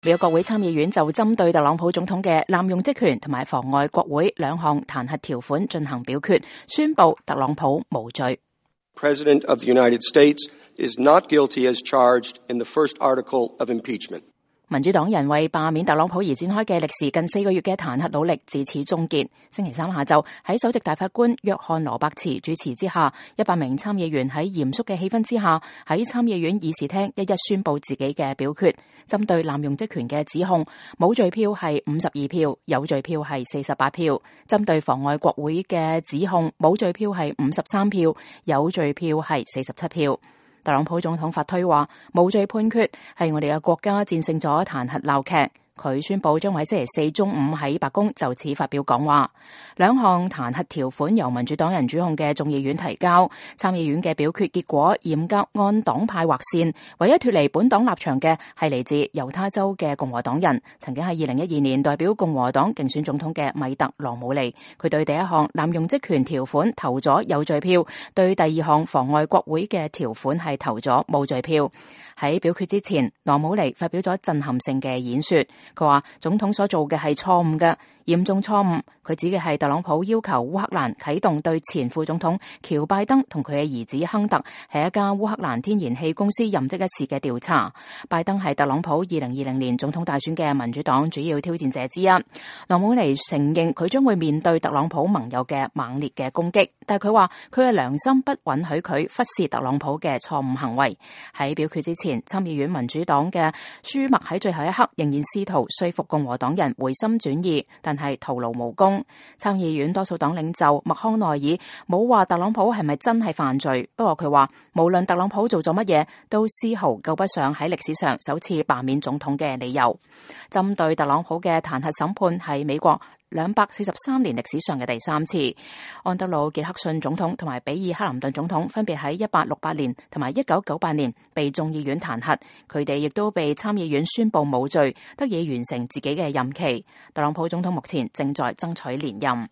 美國國會參議院就針對特朗普總統嘅濫用職權同埋妨礙國會兩項彈劾條款進行表決，宣布特朗普無罪。President of the United States is not guilty as charged in the first article of impeachment. 民主黨人為罷免特朗普而展開嘅歷時近4個月嘅彈劾努力至此終結。星期三下晝喺首席大法官約翰羅伯茨主持之下，100名參議員喺嚴肅嘅氣氛之下，喺參議院議事廳一一宣布自己嘅表決。針對濫用職權嘅指控，無罪票係52票，有罪票係48票；針對妨礙國會嘅指控，無罪票係53票，有罪票係47票。特朗普總統發推話，無罪判決係我哋嘅國家戰勝咗彈劾鬧劇。佢宣布將喺星期四中午喺白宮就此發表講話。兩項彈劾條款由民主黨人主控嘅眾議院提交，參議院嘅表決結果嚴格按黨派劃線，唯一脫離本黨立場嘅係嚟自猶他州嘅共和黨人，曾經喺2012年代表共和黨競選總統嘅米特羅姆尼。佢對第一項濫用職權條款投咗有罪票，對第二項妨礙國會嘅條款係投咗無罪票。喺表決之前，羅姆尼發表咗震撼性嘅演說。佢話總統所做嘅係錯誤嘅，嚴重錯誤。佢指嘅係特朗普要求烏克蘭啟動對前副總統喬拜登同佢嘅兒子亨特喺一家烏克蘭天然氣公司任職一事嘅調查。拜登係特朗普2020年總統大選嘅民主黨主要挑戰者之一。羅姆尼承認佢將會面對特朗普盟友嘅猛烈嘅攻擊，但係佢話佢嘅良心不允許佢忽視特朗普嘅錯誤行為。喺表決之前，參議院民主黨嘅舒默喺最後一刻仍然試圖說服共和黨人回心轉意，但係徒勞無功。參議院多數黨領袖麥康奈爾冇話特朗普係咪真係犯罪，不過佢話無論特朗普做咗乜嘢，都絲毫夠不上喺歷史上首次罷免總統嘅理由。針對特朗普嘅彈劾審判係美國243年歷史上嘅第3次。安德魯傑克遜總統同埋比爾克林頓總統分別喺1868年同埋1998年被眾議院彈劾，佢哋亦都被參議院宣布無罪，得以完成自己嘅任期。特朗普總統目前正在爭取連任。